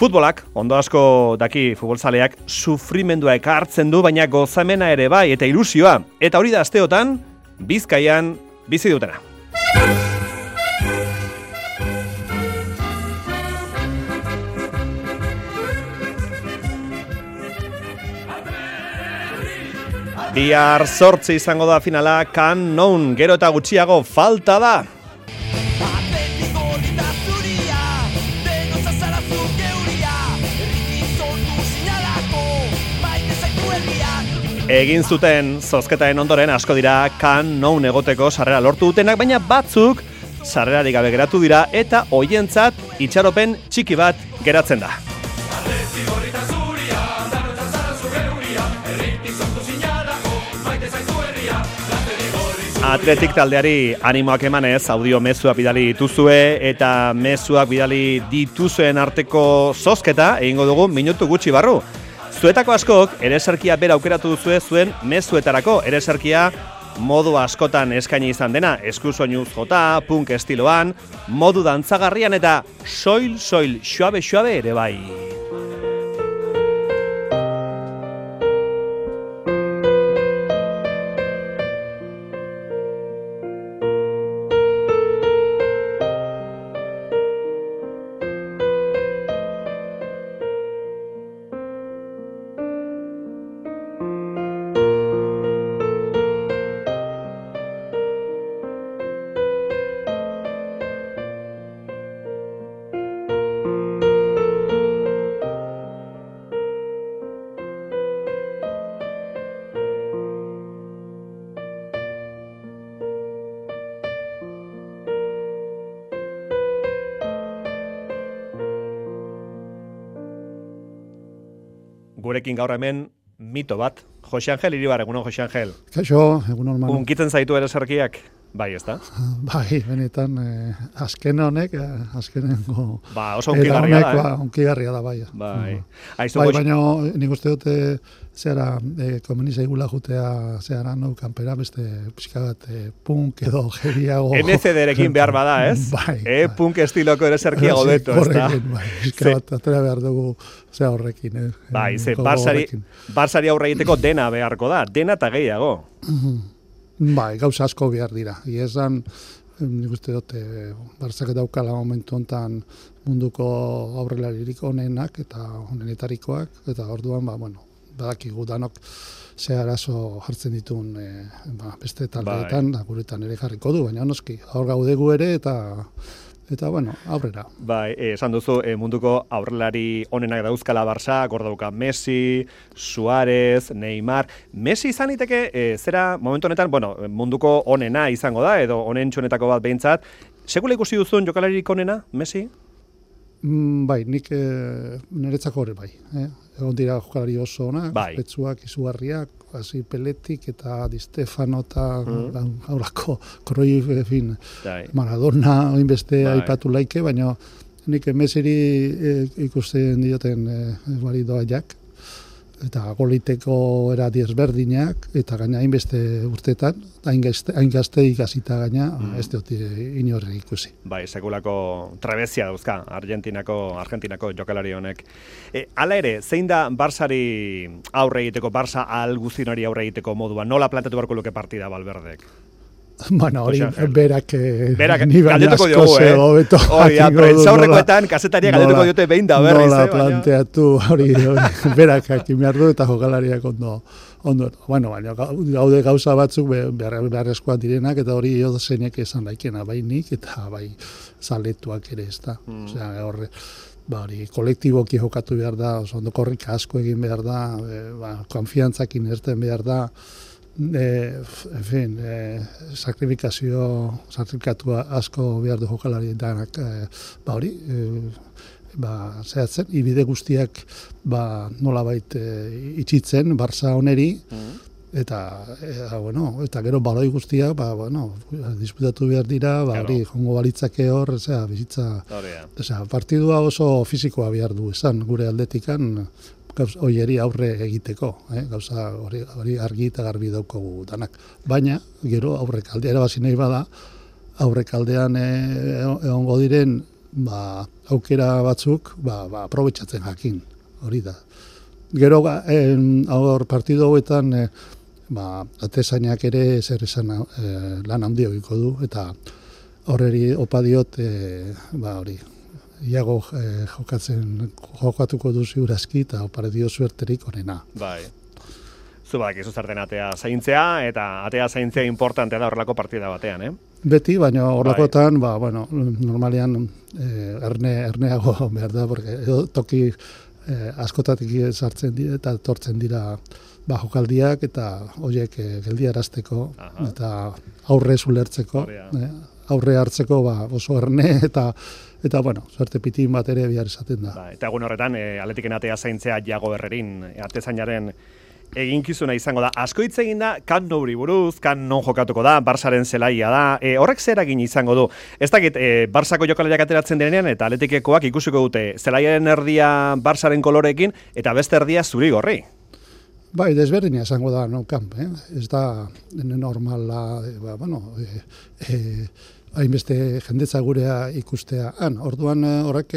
Futbolak, ondo asko daki futbolzaleak, sufrimendua ekartzen du, baina gozamena ere bai, eta ilusioa. Eta hori da asteotan, Bizkaian bizi dutena. Bihar 8 izango da finala, kan non gero eta gutxiago falta da. Egin zuten zozketaren ondoren asko dira kan non egoteko sarrera lortu dutenak, baina batzuk sarrerarik gabe geratu dira eta hoientzat itxaropen txiki bat geratzen da. Atletik taldeari animoak emanez audio mezuak bidali dituzue eta mezuak bidali dituzuen arteko zozketa egingo dugu minutu gutxi barru. Zuetako askok ereserkia bera aukeratu duzue zuen mezuetarako. Ereserkia modu askotan eskaini izan dena, eskusoinuz jota, punk estiloan, modu dantzagarrian eta soil, suabe ere bai. Gurekin gaur hemen mito bat. Jose Angel Iribar, egunon Jose Angel. Kaixo, egunon manu. Unkitzen zaitu ereserkiak? Bai, ezta? Bai, benetan, azken honek, azkenengo... Ba, oso unkigarria da, unkigarria da, bai. Bai, baina nik uste dute, zehara, komeni zaigula jutea, zehara, no, kanpera, beste pixka bat, punk edo geriago... NCD-rekin behar bada, ez? Bai. Punk estiloko ereserkia gobeto, ez da? Horrekin, bai, pixka bat, atera behar dugu, zera horrekin, Bai, ze, Barsari aurre egiteko dena beharko da, dena eta gehiago. Bai, gauza asko behar dira. Iezan, nik uste dute, Bartzak daukala momentu honetan munduko aurrelaririk onenak eta onenetarikoak, eta orduan, badakigu danok ze arazo jartzen ditun beste taldeetan, guretan ere jarriko du, baina noski, hor gaudegu ere eta aurrera. Bai, esan duzu, munduko aurrelari onenak dauzkala Barça, hor dauka Messi, Suárez, Neymar. Messi izan liteke, zera momentu honetan, munduko onena izango da, edo onentxonetako bat behintzat. Sekula ikusi duzun jokalarik onena, Messi? Bai, nik niretzako hori bai. Egon dira jokalari oso onak, petzuak, izugarriak, hasi Peletik eta Di Stefano eta haurako Cruyff, Maradona, oinbeste aipatu laike, baina nik Messiri ikusten dioten bari doaiak, eta goliteko era desberdinak, eta gaina hainbeste urtetan, hain gazte ikasita gaina, ez dut inorri ikusi. Bai, sekulako trebezia dauzka, Argentinako jokalari honek. Hala ere, zein da Barsari aurre egiteko, Barsa alguzinari aurre egiteko modua? Nola planteatu beharko luke partida Valverdek? Hori berak ni baina asko zego beto. Prentsaurrekoetan kasetaria galdetuko diote behin da berriz. Nola planteatu hori berak hakin behar du eta jokalariak ondo. Baina gaude gauza batzuk beharrezkoak direnak eta hori zeinek esan daikena bai nik eta bai zaletuak ere ez da. Osea, horre hori kolektiboki jokatu behar da, ondo korrika asko egin behar da, konfiantzakin erten behar da. Sakrifikatu asko behar du jokalari danak, hori, zehatzen, ibide guztiak nolabait itxitzen, Barça oneri, eta gero baloi guztiak, disputatu behar dira, hori, jongo balitzake hor, bizitza, partidua oso fisikoa behar du, esan, gure aldetikan, hoieri aurre egiteko, gauza hori argi eta garbi daukagu danak. Baina, gero aurrekaldea erabazi nahi bada, aurrekaldean egongo diren aukera batzuk, aprobetxatzen jakin, hori da. Gero, hor partido hauetan, atezainak ere zer esan lan handia egiko du, eta horreri opa diot, hori, iago jokatuko du ziurazki, eta opare dio suerterik onena. Bai. Zubadak izu zerten atea zaintzea, eta atea zaintzea importantea da horrelako partida batean, Beti, baina horrekotan, normalean erneago behar da, porque toki askotatik sartzen dira, eta tortzen dira jokaldiak, eta horiek geldiarazteko, eta aurre zulertzeko, aurre hartzeko oso erne, eta suerte pitin bat ere bihar esaten da. Eta egun horretan, Atletiken atea zaintzea Jago Herrerin, atezainaren eginkizuna izango da. Asko hitz egin da, kan Nouri buruz, kan non jokatuko da, Barsaren zelaia da, horrek zer egin izango du. Ez dakit, Barsako jokalariak ateratzen denean, eta Atletikekoak ikusiko dute, zelaiaren erdia Barsaren kolorekin, eta beste erdia zuri gorri. Bai, desberdina esango da, no, kamp, ez da normala, hainbeste jendetza gurea ikustea. Orduan horrek,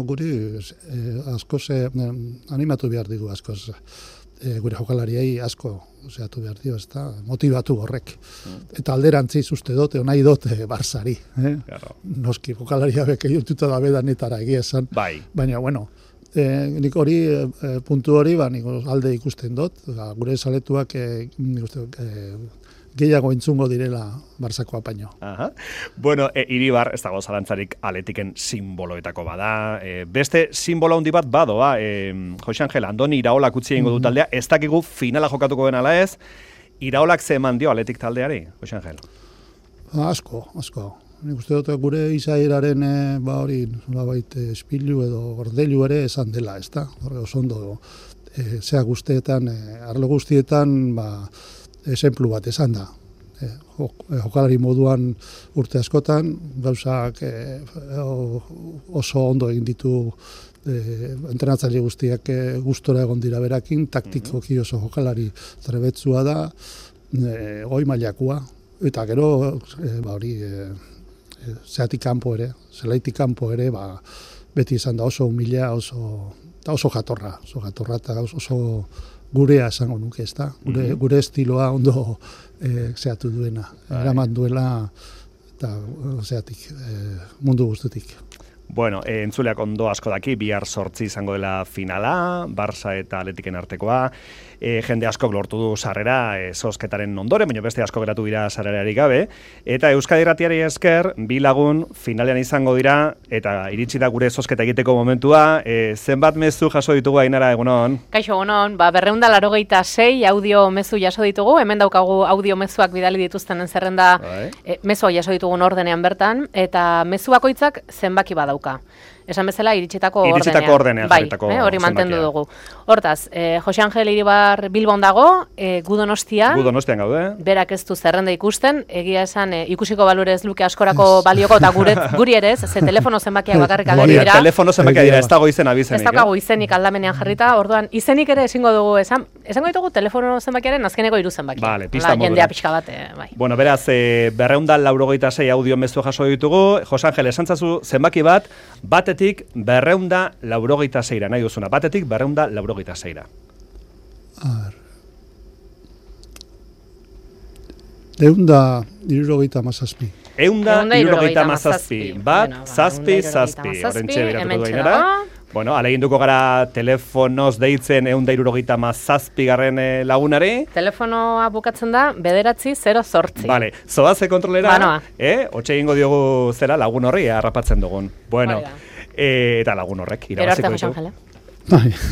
guri askoz animatu behar digu askoz. Gure jokalariei asko zeatu behar dio, ez da, motivatu horrek. Eta alderantziz uste dut, nahi dut Barsari. Noski, jokalaria beke jututa da bedanetara egia esan. Bai. Baina, nik hori, puntu hori, nik alde ikusten dut, gure saletuak gehiago entzungo direla Barsako apaino. Iribar, ez dago zalantzarik Atletiken simboloetako bada. Beste simbolo handi bat badoa, Jose Angel, Andoni Iraolak utzi egingo du taldea, ez dakigu finala jokatuko den ala ez, Iraolak ze eman dio Atletik taldeari, Jose Angel? Asko. Nik uste dut gure izaeraren hori nolabait espilu edo gordelu ere esan dela, ez da? Horre oso ondo, zea guztietan, arlo guztietan, esemplu bat esan da. Jokalari moduan urte askotan, gauzak oso ondo egin ditu entrenatzaile guztiak gustora egon dira berakin, taktikoki oso jokalari trebetzua da, goi mailakoa, eta gero zeatik kanpo ere, zelaitik kanpo ere, beti izan da oso humila, oso jatorra, eta oso gurea esango nuke, ez da? Gure estiloa ondo zehatu duena. Eraman duela eta zeatik mundu guztetik. Entzuleak ondo asko daki, bihar 8 izango dela finala, Barça eta Atletiken artekoa. Jende askok lortu du sarrera zozketaren ondoren, baina beste asko geratu dira sarrerarik gabe. Eta Euskadi Irratiari esker, 2 lagun finalean izango dira, eta iritsi da gure zozketa egiteko momentua. Zenbat mezu jaso ditugu, Ainara, egunon? Kaixo, egunon, 286 audio mezu jaso ditugu, hemen daukagu audio mezuak bidali dituztenen zerrenda mezuak jaso ditugun ordenean bertan, eta mezu bakoitzak zenbaki badauka. Esan bezala, iritsitako ordenean. Bai, hori mantendu dugu. Hortaz, Jose Angel Iribar Bilbon dago, gu Donostian. Gu Donostian gaude. Berak ez du zerrenda ikusten, egia esan ikusiko balure ez luke askorako balioko, eta guri ere ez, ze telefono zenbakiak bakarrik ageri dira. Telefono zenbakiak dira, ez dago izen abizenik. Ez dago izenik aldamenean jarrita, orduan izenik ere ezingo dugu, esango ditugu telefono zenbakiaren azkeneko 3 zenbakiak. Vale, pista modura. Jendea pixka bat, bai. Beraz, 286 audio mezu jaso ditugu. Jose Angel, esantzazu zenbaki bat, batetik 286 nahi duzuna. Batetik 286. A ver. 177. 177. Bat, zazpi. Horrentxe biratuko duainera. Aleginduko gara telefonoz deitzen 177 garren lagunari. Telefonoa bukatzen da 908. Vale, zoaze kontrolera. Hotxe egingo diogu zera lagun horri, harrapatzen dugun. Eta lagun horrek irabaziko ditu.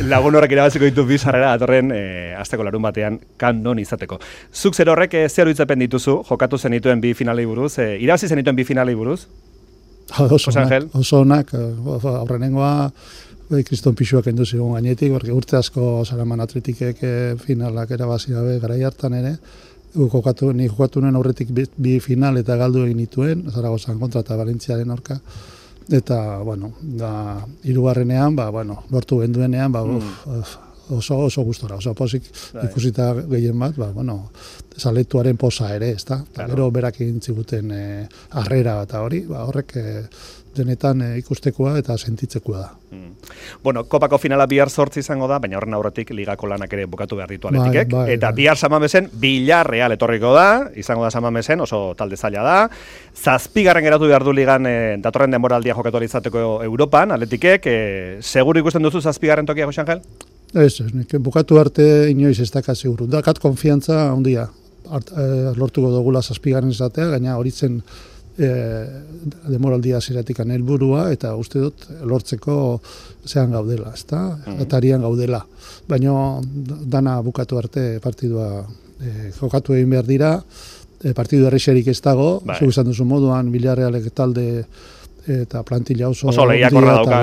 Lagun horrek irabaziko ditu bizarrera datorren asteko larun batean non izateko. Zuk zer horrek zer hitzapen dituzu, jokatu zenituen 2 finalei buruz, irabazi zenituen 2 finalei buruz? Oso onak, aurrenengoa kriston pixuak endu zigun gainetik, urte asko Zaraman Atletikek finalak erabazi gabe garai hartan ere, ni jokatu nuen aurretik 2 final eta galdu egin nituen, Zaragozan kontra eta Valentziaren aurka. Eta, hirugarrenean, lortu genduenean, oso gustora, oso pozik ikusita gehien bat, zaletuaren posa ere, ez da? Gero berak egin ziguten harrera eta hori, horrek denetan ikustekoa eta sentitzekoa da. Bueno, kopako finala bihar 8 izango da, baina horren aurretik ligako lanak ere bukatu behar ditu Atletikek. Eta bihar San Mamesen Villarreal etorriko da, izango da San Mamesen, oso talde zaila da. 7. geratu behar du ligan datorren denboraldia jokatu ahal izateko Europan, Atletikek. Seguru ikusten duzu 7. tokia, Jose Angel? Ez, bukatu arte inoiz ez dakat seguru. Dakat konfiantza handia. Lortuko dugula 7. izatea, gaina horitzen demoraldia ziratik helburua eta uste dut lortzeko zean gaudela, ezta? Atarian gaudela. Baina dana bukatu arte partidua jokatu egin behar dira, partidu errexerik ez dago, zuk izan duzu moduan, Villarrealek talde eta plantilla oso lehiakorra dauka.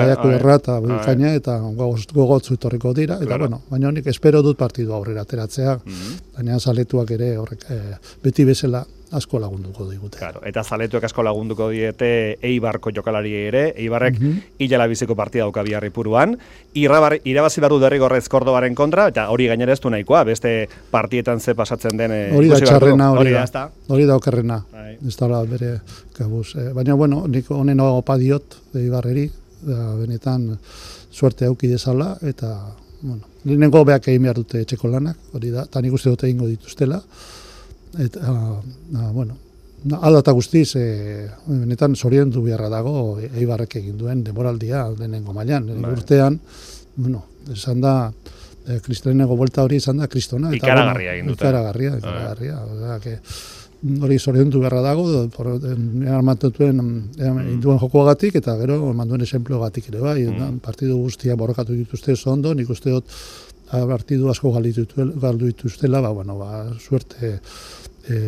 Eta bikaina eta gogotzu etorriko dira. Eta bueno, baina nik espero dut partidu aurrera ateratzea, baina zaletuak ere horrek beti bezala asko lagunduko digute. Claro, eta zaletuek asko lagunduko diete Eibarko jokalari ere, Eibarrek hilala biziko partida dauka bihar Ipuruan, irabazi behar du derrigorrez Kordobaren kontra, eta hori gainera ez du nahikoa, beste partietan ze pasatzen den hori da txarrena, hori da okerrena, ez da bere kabuz. Baina, bueno, nik honen opa diot Eibarreri, benetan suerte auki dezala, eta, bueno, lehenengo beak egin behar dute etxeko lanak, hori da, eta nik uste dute egingo dituztela, eta, bueno, alda eta guztiz, benetan zoriondu beharra dago Eibarrek egin duen demoraldia lehenengo mailan. Urtean, bueno, esan da, kristolenego buelta hori esan da kristona. Ikaragarria egin dute. Ikaragarria. Hori zoriondu beharra dago, armatutuen induen jokoagatik, eta gero manduen esenplogatik ere bai. Partidu guztia borrokatu dituzte oso ondo, nik uste dut partidu asko galdu dituztela, suerte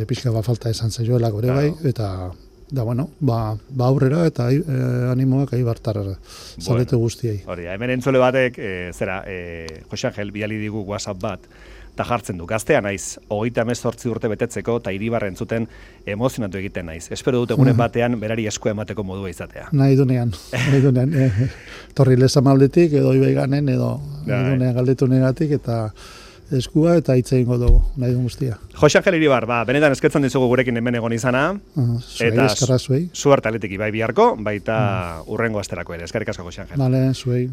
pixka falta esan zaioela gore bai, eta bueno, aurrera eta animoak Eibartar zaletu guztiei. Hori, hemen entzule batek, Jose Angel, bidali digu WhatsApp bat, eta jartzen du, gaztea naiz, 38 urte betetzeko, eta Iribar entzuten emozionatu egiten naiz. Espero dut egunen batean berari esku emateko modua izatea. Nahi dunean. Torri lezamaldetik, edo ibaiganen, edo dunean galdetu negatik, eta eskua eta hitz egingo dugu, nahi duen guztia. Jose Angel Iribar, benetan eskertzen dizugu gurekin hemen egon izana. Eta zuarte Atletik ibai biharko, baita urrengo asterako ere. Eskerrik asko, Jose Angel. Bale, zuei.